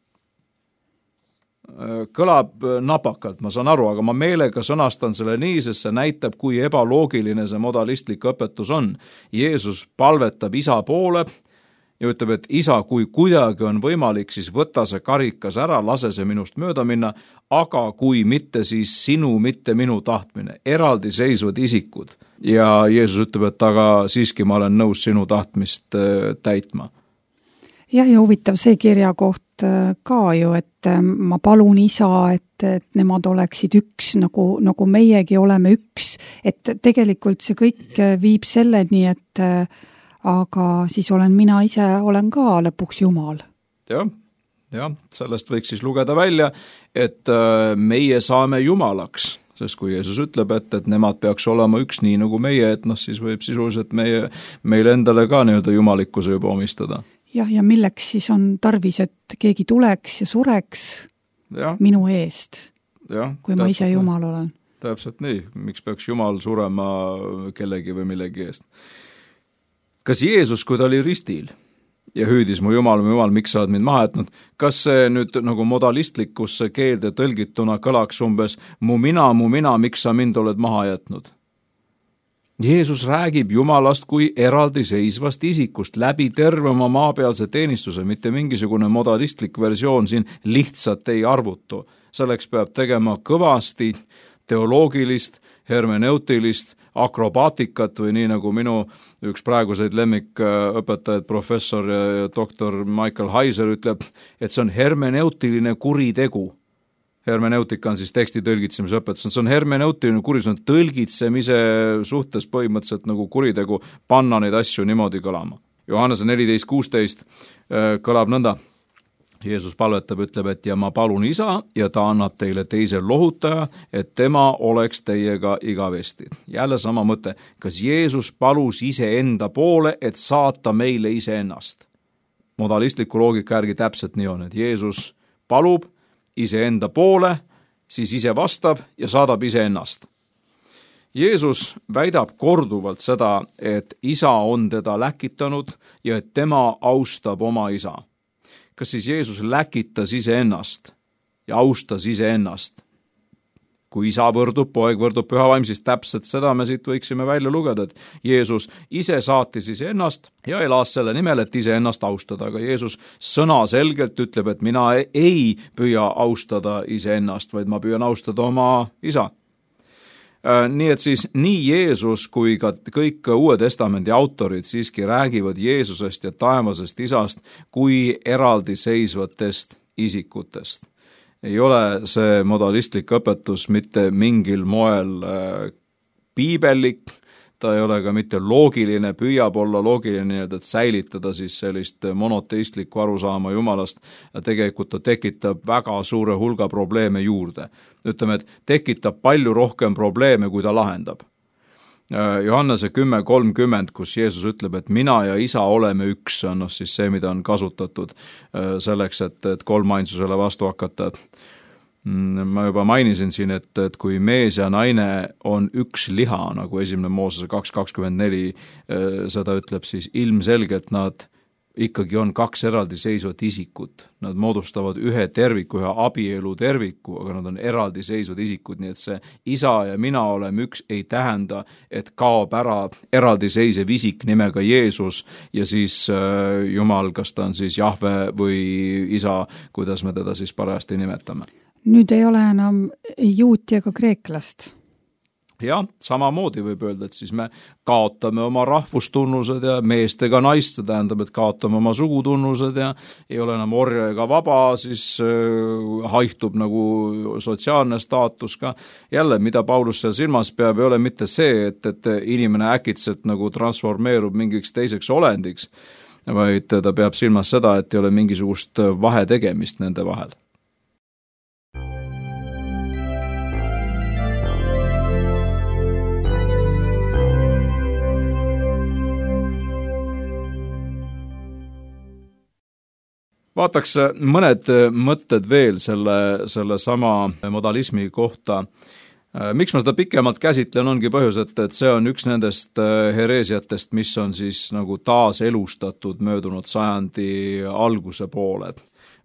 Kõlab napakalt, ma saan aru, aga ma meelega sõnastan selle nii, sest see näitab, kui ebaloogiline see modalistlik õpetus on. Jeesus palvetab isa poole ja ütleb, et isa, kui kuidagi on võimalik, siis võta see karikas ära, lase see minust mööda minna, aga kui mitte, siis sinu, mitte minu tahtmine. Eraldiseisvad isikud. Ja Jeesus ütleb, et aga siiski ma olen nõus sinu tahtmist täitma. Jah, ja huvitav see kirjakoht ka ju, et ma palun isa, et nemad oleksid üks, nagu meiegi oleme üks. Et tegelikult see kõik viib selleni, et aga siis olen mina ise, olen ka lõpuks Jumal. Jah, sellest võiks siis lugeda välja, et meie saame Jumalaks, sest kui Jeesus ütleb, et nemad peaks olema üks nii nagu meie, et siis võib sisuliselt meile endale ka nii-öelda jumalikkuse juba omistada. Jah, ja milleks siis on tarvis, et keegi tuleks ja sureks minu eest, kui ma ise Jumal olen. Täpselt nii, miks peaks Jumal surema kellegi või millegi eest? Kas Jeesus, kui ta oli ristil ja hüüdis mu Jumal, miks sa oled mind maha jätnud, kas see nüüd nagu modalistlikusse keelde tõlgituna kõlaks umbes mu mina, miks sa mind oled maha jätnud? Jeesus räägib Jumalast kui eraldiseisvast isikust läbi terve oma maapealse teenistuse, mitte mingisugune modalistlik versioon siin lihtsalt ei arvutu. Selleks peab tegema kõvasti teoloogilist, hermeneutilist, akrobaatikat või nii nagu minu üks praeguseid lemmikõpetajaid, professor ja doktor Michael Heiser ütleb, et see on hermeneutiline kuritegu. Hermeneutika on siis teksti tõlgitsemise õpetus. See on hermeneutiline kuri, see on tõlgitsemise suhtes põhimõtteliselt nagu kuritegu panna neid asju niimoodi kõlama. Johannese 14.16 kõlab nõnda. Jeesus palvetab, ütleb, et ja ma palun isa ja ta annab teile teise lohutaja, et tema oleks teiega igavesti. Jälle sama mõte. Kas Jeesus palus iseenda poole, et saata meile iseennast? modalistliku loogika järgi täpselt nii on, et Jeesus palub iseenda poole, siis ise vastab ja saadab iseennast. Jeesus väidab korduvalt seda, et isa on teda läkitanud ja et tema austab oma isa. Kas siis Jeesus läkitas iseennast ja austas iseennast? Kui isa võrdub, poeg võrdub püha vaim, siis täpselt seda me siit võiksime välja lugeda, et Jeesus ise saatis iseennast ja elas selle nimel, et iseennast austada. Aga Jeesus sõnaselgelt ütleb, et mina ei püüa austada iseennast, vaid ma püüan austada oma isa. Nii et siis nii Jeesus kui ka kõik Uue Testamendi autorid siiski räägivad Jeesusest ja taevasest isast kui eraldiseisvatest isikutest. Ei ole see modalistlik õpetus mitte mingil moel piibellik, ta ei ole ka mitte loogiline, püüab olla loogiline, et säilitada siis sellist monoteistlikku arusaama Jumalast ja tegelikult ta tekitab väga suure hulga probleeme juurde. Ütleme, et tekitab palju rohkem probleeme, kui ta lahendab. Johannese 10:30, kus Jeesus ütleb, et mina ja isa oleme üks, on siis see, mida on kasutatud selleks, et kolmainsusele vastu hakata. Ma juba mainisin siin, et kui mees ja naine on üks liha, nagu 1. Moosese 2:24 seda ütleb, siis ilmselgelt nad ikkagi on kaks eraldiseisvat isikut. Nad moodustavad ühe terviku, ühe abielu terviku, aga nad on eraldiseisvad isikud, nii et see isa ja mina oleme üks ei tähenda, et kaob ära eraldiseisev isik nimega Jeesus ja siis Jumal, kas ta on siis Jahve või isa, kuidas me teda siis parajasti nimetame. Nüüd ei ole enam juuti ega kreeklast. Jah, samamoodi võib öelda, et siis me kaotame oma rahvustunnused ja meest ega naist, see tähendab, et kaotame oma sugutunnused ja ei ole enam orja ega vaba, siis haihtub nagu sotsiaalne staatus ka. Jälle, mida Paulus seal silmas peab, ei ole mitte see, et inimene äkitselt nagu transformeerub mingiks teiseks olendiks, vaid ta peab silmas seda, et ei ole mingisugust vahetegemist nende vahel. Vaataks mõned mõtted veel selle sama modalismi kohta. Miks ma seda pikemalt käsitlen, ongi põhjus, et see on üks nendest hereesiatest, mis on siis nagu taas elustatud möödunud sajandi alguse poole.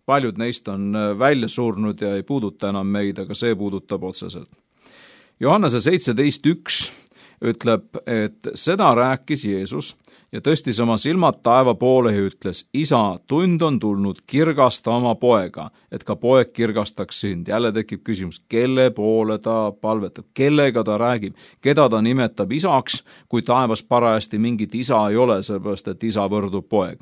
Paljud neist on välja surnud ja ei puuduta enam meid, aga see puudutab otseselt. Johannese 17:1 ütleb, et seda rääkis Jeesus ja tõstis oma silmad taeva poole ja ütles, isa, tund on tulnud, kirgasta oma poega, et ka poeg kirgastaks sind. Jälle tekib küsimus, kelle poole ta palvetab, kellega ta räägib, keda ta nimetab isaks, kui taevas parajasti mingit isa ei ole, sellepärast et isa võrdub poeg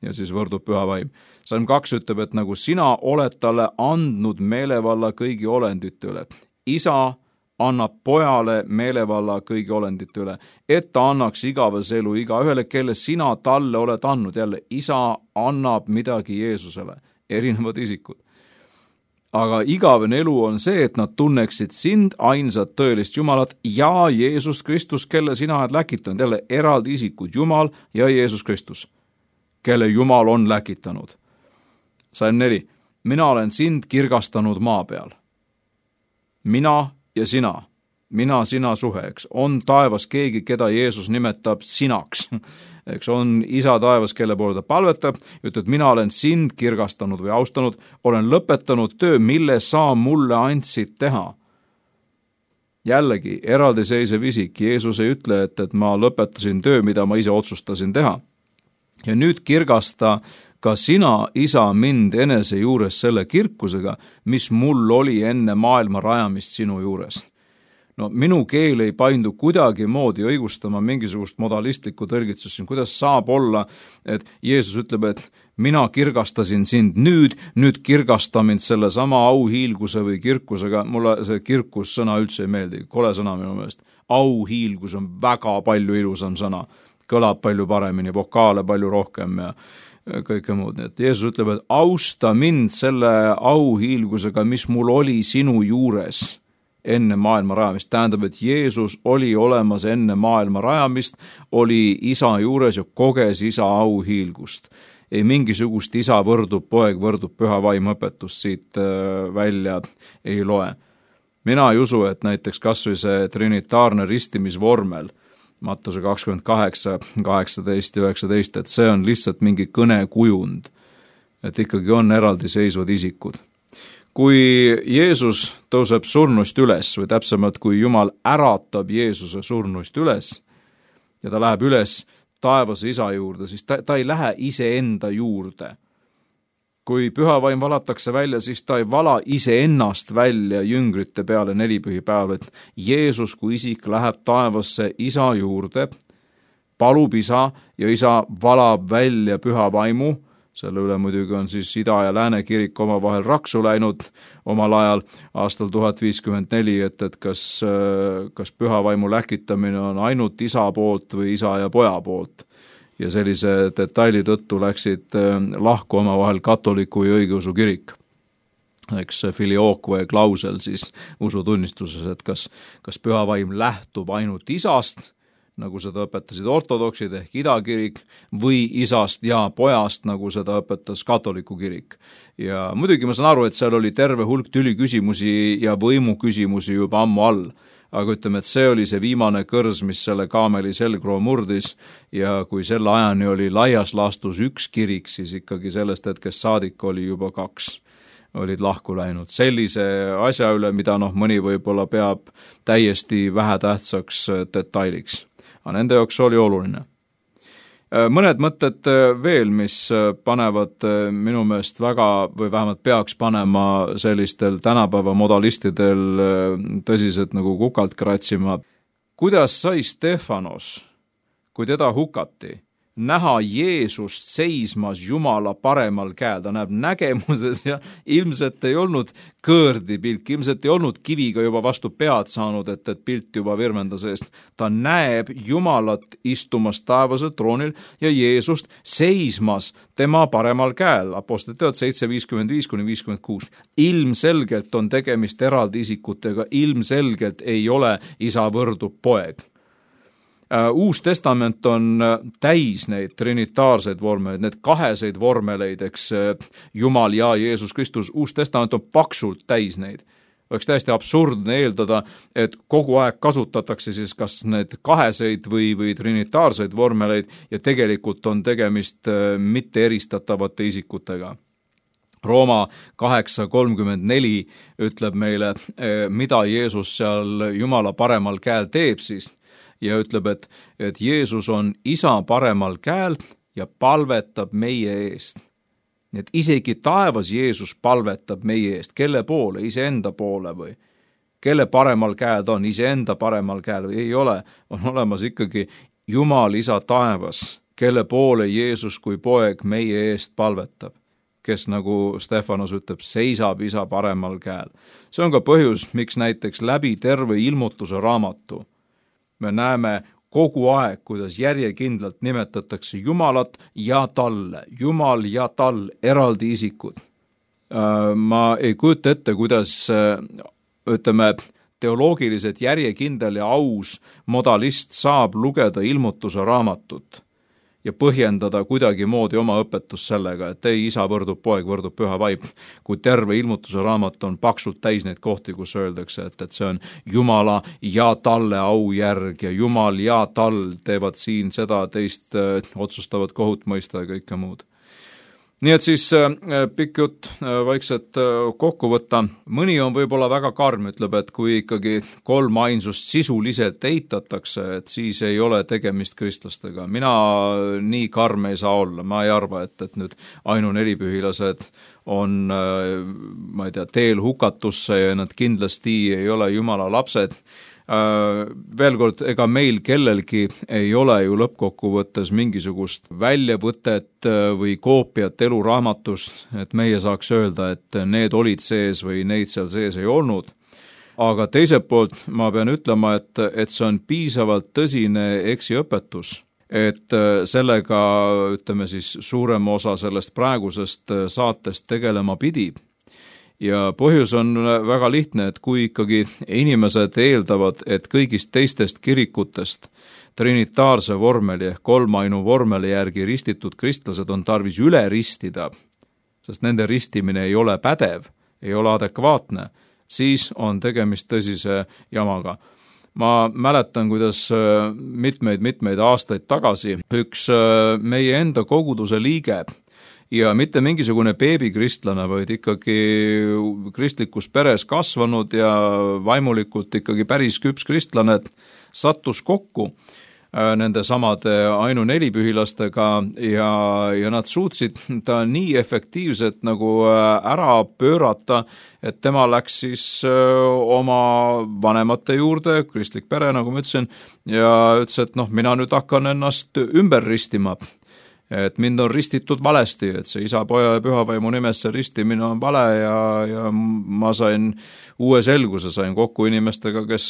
ja siis võrdub püha vaim. Salm 2 ütleb, et nagu sina oled talle andnud meelevalla kõigi olendite üle. Isa annab pojale meelevalla kõigi olendite üle, et ta annaks igavese elu igaühele, kelle sina talle oled andnud. Jälle, isa annab midagi Jeesusele, erinevad isikud. Aga igavene elu on see, et nad tunneksid sind, ainsat tõelist Jumalat ja Jeesus Kristus, kelle sina oled läkitanud. Jälle, eraldi isikud, Jumal ja Jeesus Kristus, kelle Jumal on läkitanud. Salm 4. Mina olen sind kirgastanud maa peal. Mina ja mina, sina suhe, eks, on taevas keegi, keda Jeesus nimetab sinaks, eks, on isa taevas, kelle poole ta palvetab, ütleb, mina olen sind kirgastanud või austanud, olen lõpetanud töö, mille sa mulle andsid teha. Jällegi, eraldiseisev isik, Jeesus ei ütle, et ma lõpetasin töö, mida ma ise otsustasin teha. Ja nüüd kirgasta ka sina, isa, mind enese juures selle kirkusega, mis mul oli enne maailma rajamist sinu juures. No minu keel ei paindu kuidagi moodi õigustama mingisugust modalistlikku tõlgitsust, kuidas saab olla, et Jeesus ütleb, et mina kirgastasin sind nüüd kirgasta mind selle sama auhiilguse või kirkusega. Mulle see kirkus sõna üldse ei meeldi, kole sõna minu meelest. Auhiilgus on väga palju ilusam sõna, kõlab palju paremini, vokaale palju rohkem ja kõike muud. Et Jeesus ütleb, et austa mind selle auhiilgusega, mis mul oli sinu juures enne maailma rajamist. Tähendab, et Jeesus oli olemas enne maailma rajamist, oli isa juures ja koges isa auhiilgust. ei mingisugust isa võrdub poeg, võrdub püha vaim õpetust siit välja ei loe. Mina ei usu, et näiteks kas või see trinitaarne ristimisvormel, Mattuse 28, 18 ja 19, et see on lihtsalt mingi kõnekujund, et ikkagi on eraldiseisvad isikud. Kui Jeesus tõuseb surnust üles või täpsemalt, kui Jumal äratab Jeesuse surnust üles ja ta läheb üles taevase isa juurde, siis ta ei lähe iseenda juurde. Kui püha vaim valatakse välja, siis ta ei vala iseennast välja jüngrite peale nelipühipäeval, et Jeesus kui isik läheb taevasse isa juurde, palub isa ja isa valab välja püha vaimu. Selle üle muidugi on siis Ida- ja Lääne kirik omavahel raksu läinud omal ajal aastal 1054, et kas püha vaimu läkitamine on ainult isa poolt või isa ja poja poolt. Ja sellise detaili tõttu läksid lahku omavahel katoliku ja õigeusu kirik. Eks filioque klausel siis usutunnistuses, et kas püha vaim lähtub ainult isast, nagu seda õpetasid ortodoksid ehk idakirik, või isast ja pojast, nagu seda õpetas katoliku kirik. Ja muidugi ma saan aru, et seal oli terve hulk tüliküsimusi ja võimuküsimusi juba ammu all, aga ütleme, et see oli see viimane kõrs, mis selle kaameli selgroo murdis ja kui selle ajani oli laias laastus üks kirik, siis ikkagi sellest hetkest saadik oli juba 2. olid lahku läinud. Sellise asja üle, mida mõni võib-olla peab täiesti vähetähtsaks detailiks. Aga nende jaoks oli oluline. Mõned mõtted veel, mis panevad minu meelest väga, või vähemalt peaks panema sellistel tänapäeva modalistidel tõsiselt nagu kukalt kratsima. Kuidas sai Stefanos, kui teda hukati, näha Jeesust seismas Jumala paremal käel? Ta näeb nägemuses ja ilmselt ei olnud kõõrdipilk, ilmselt ei olnud kiviga juba vastu pead saanud, et pilt juba virmendas eest. Ta näeb Jumalat istumas taevase troonil ja Jeesust seismas tema paremal käel. Apostlite teod 7:55-56. Ilmselgelt on tegemist eraldi isikutega, ilmselgelt ei ole isa võrdub poeg. Uus testament on täis neid trinitaarseid vormeleid, need kaheseid vormeleid, eks Jumal ja Jeesus Kristus, uus testament on paksult täis neid. Oleks täiesti absurdne eeldada, et kogu aeg kasutatakse siis kas need kaheseid või trinitaarseid vormeleid ja tegelikult on tegemist mitte eristatavate isikutega. Rooma 8:34 ütleb meile, mida Jeesus seal Jumala paremal käel teeb siis. Ja ütleb, et Jeesus on isa paremal käel ja palvetab meie eest. Nii et isegi taevas Jeesus palvetab meie eest. Kelle poole? Iseenda poole või? Kelle paremal käel ta on? Iseenda paremal käel või ei ole? On olemas ikkagi Jumal isa taevas, kelle poole Jeesus kui poeg meie eest palvetab, kes nagu Stefanos ütleb, seisab isa paremal käel. See on ka põhjus, miks näiteks läbi terve ilmutuse raamatu me näeme kogu aeg, kuidas järjekindlalt nimetatakse Jumalat ja talle, Jumal ja tal, eraldi isikud. Ma ei kujuta ette, kuidas, ütleme, teoloogiliselt järjekindel ja aus modalist saab lugeda ilmutuse raamatut ja põhjendada kuidagimoodi oma õpetus sellega, et ei, isa võrdub poeg, võrdub püha vaim, kui terve ilmutuse raamat on paksult täis neid kohti, kus öeldakse, et see on Jumala ja talle au järg ja Jumal ja tal teevad siin seda, teist otsustavad kohut mõista ja kõike muud. Nii et siis pikk jutt vaikselt kokku võtta. Mõni on võib-olla väga karm, ütleb, et kui ikkagi 3 ainsust sisuliselt eitatakse, et siis ei ole tegemist kristlastega. Mina nii karm ei saa olla. Ma ei arva, et nüüd ainunelipühilased on, ma ei tea, teel hukatusse ja nad kindlasti ei ole Jumala lapsed. Veel kord, ega meil kellelgi ei ole ju lõppkokkuvõttes mingisugust väljavõtet või koopiat eluraamatust, et meie saaks öelda, et need olid sees või neid seal sees ei olnud. Aga teiselt poolt ma pean ütlema, et see on piisavalt tõsine eksiõpetus, et sellega, ütleme siis, suurem osa sellest praegusest saatest tegelema pidi. ja põhjus on väga lihtne, et kui ikkagi inimesed eeldavad, et kõigist teistest kirikutest trinitaarse vormeli ehk kolmainu vormeli järgi ristitud kristlased on tarvis üle ristida, sest nende ristimine ei ole pädev, ei ole adekvaatne, siis on tegemist tõsise jamaga. Ma mäletan, kuidas mitmeid aastaid tagasi üks meie enda koguduse liige ja mitte mingisugune beebikristlane, vaid ikkagi kristlikus peres kasvanud ja vaimulikult ikkagi päris küps kristlane sattus kokku nende samade ainunelipühilastega ja nad suutsid ta nii efektiivselt nagu ära pöörata, et tema läks siis oma vanemate juurde, kristlik pere, nagu ma ütlesin, ja ütles, et mina nüüd hakkan ennast ümber ristima. Et mind on ristitud valesti, et see isa, poja ja pühavaimu nimesse ristimine on vale ja ma sain uue selguse, sain kokku inimestega, kes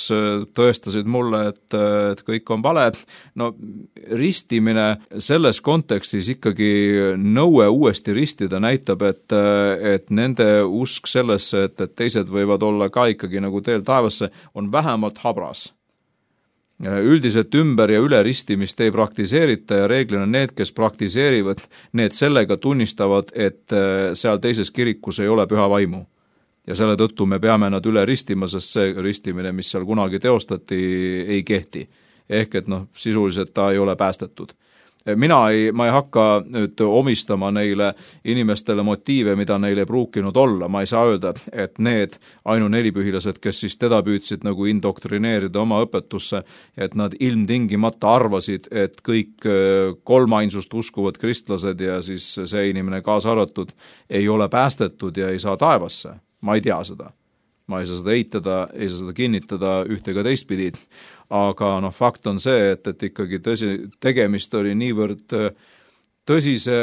tõestasid mulle, et kõik on vale. Ristimine selles kontekstis ikkagi nõue uuesti ristida näitab, et nende usk sellesse, et teised võivad olla ka ikkagi nagu teel taevasse, on vähemalt habras. Üldiselt ümber ja üle ristimist ei praktiseerita ja reeglina need, kes praktiseerivad, need sellega tunnistavad, et seal teises kirikus ei ole püha vaimu. Ja selle tõttu me peame nad üle ristima, sest see ristimine, mis seal kunagi teostati, ei kehti. Ehk et sisuliselt ta ei ole päästetud. Ma ei hakka nüüd omistama neile inimestele motiive, mida neil ei pruukinud olla. Ma ei saa öelda, et need ainunelipühilased, kes siis teda püüdsid nagu indoktrineerida oma õpetusse, et nad ilmtingimata arvasid, et kõik kolmainsust uskuvad kristlased ja siis see inimene kaasa arvatud ei ole päästetud ja ei saa taevasse. Ma ei tea seda. Ma ei saa seda eitada, ei saa seda kinnitada ühte ega teistpidi. Aga fakt on see, et ikkagi tegemist oli niivõrd tõsise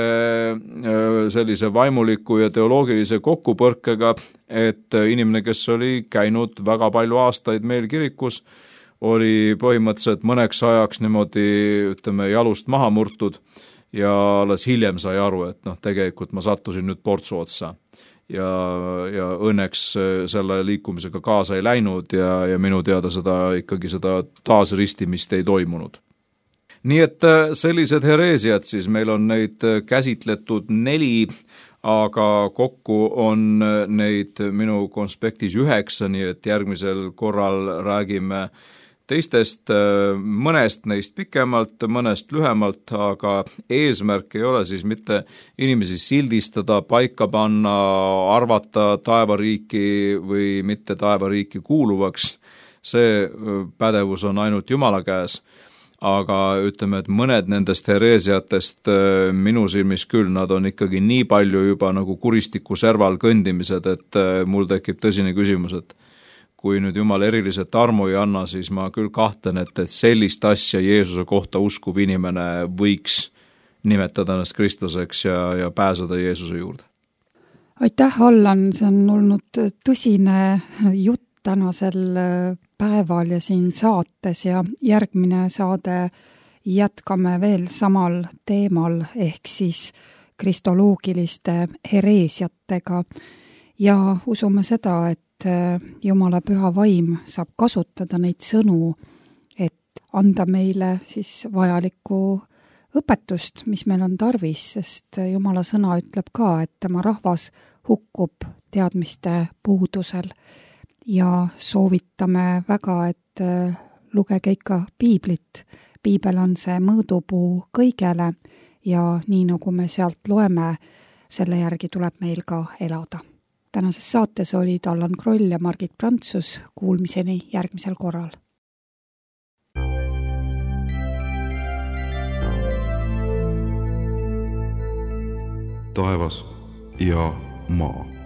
sellise vaimuliku ja teoloogilise kokkupõrkega, et inimene, kes oli käinud väga palju aastaid meil kirikus, oli põhimõtteliselt mõneks ajaks niimoodi, jalust maha murtud ja alles hiljem sai aru, et tegelikult ma sattusin nüüd portsu otsa. Ja õnneks selle liikumisega kaasa ei läinud ja minu teada seda taasristimist ei toimunud. Nii et sellised hereesiad siis, meil on neid käsitletud 4, aga kokku on neid minu konspektis 9, nii et järgmisel korral räägime teistest, mõnest neist pikemalt, mõnest lühemalt, aga eesmärk ei ole siis mitte inimesi sildistada, paika panna, arvata taevariiki või mitte taevariiki kuuluvaks. See pädevus on ainult Jumala käes, aga ütleme, et mõned nendest hereesiatest minu silmis küll, nad on ikkagi nii palju juba nagu kuristiku serval kõndimised, et mul tekib tõsine küsimus, et kui nüüd Jumal eriliselt armu ei anna, siis ma küll kahtlen, et sellist asja Jeesuse kohta uskuv inimene võiks nimetada ennast kristlaseks ja pääseda Jeesuse juurde. Aitäh, Allan, see on olnud tõsine jutt tänasel päeval ja siin saates ja järgmine saade jätkame veel samal teemal ehk siis kristoloogiliste hereesiatega ja usume seda, et Jumala püha vaim saab kasutada neid sõnu, et anda meile siis vajalikku õpetust, mis meil on tarvis, sest Jumala sõna ütleb ka, et tema rahvas hukkub teadmiste puudusel ja soovitame väga, et lugege ikka piiblit. Piibel on see mõõdupuu kõigele ja nii nagu me sealt loeme, selle järgi tuleb meil ka elada. Tänases saates olid Allan Kroll ja Margit Prantsus. Kuulmiseni järgmisel korral. Taevas ja maa.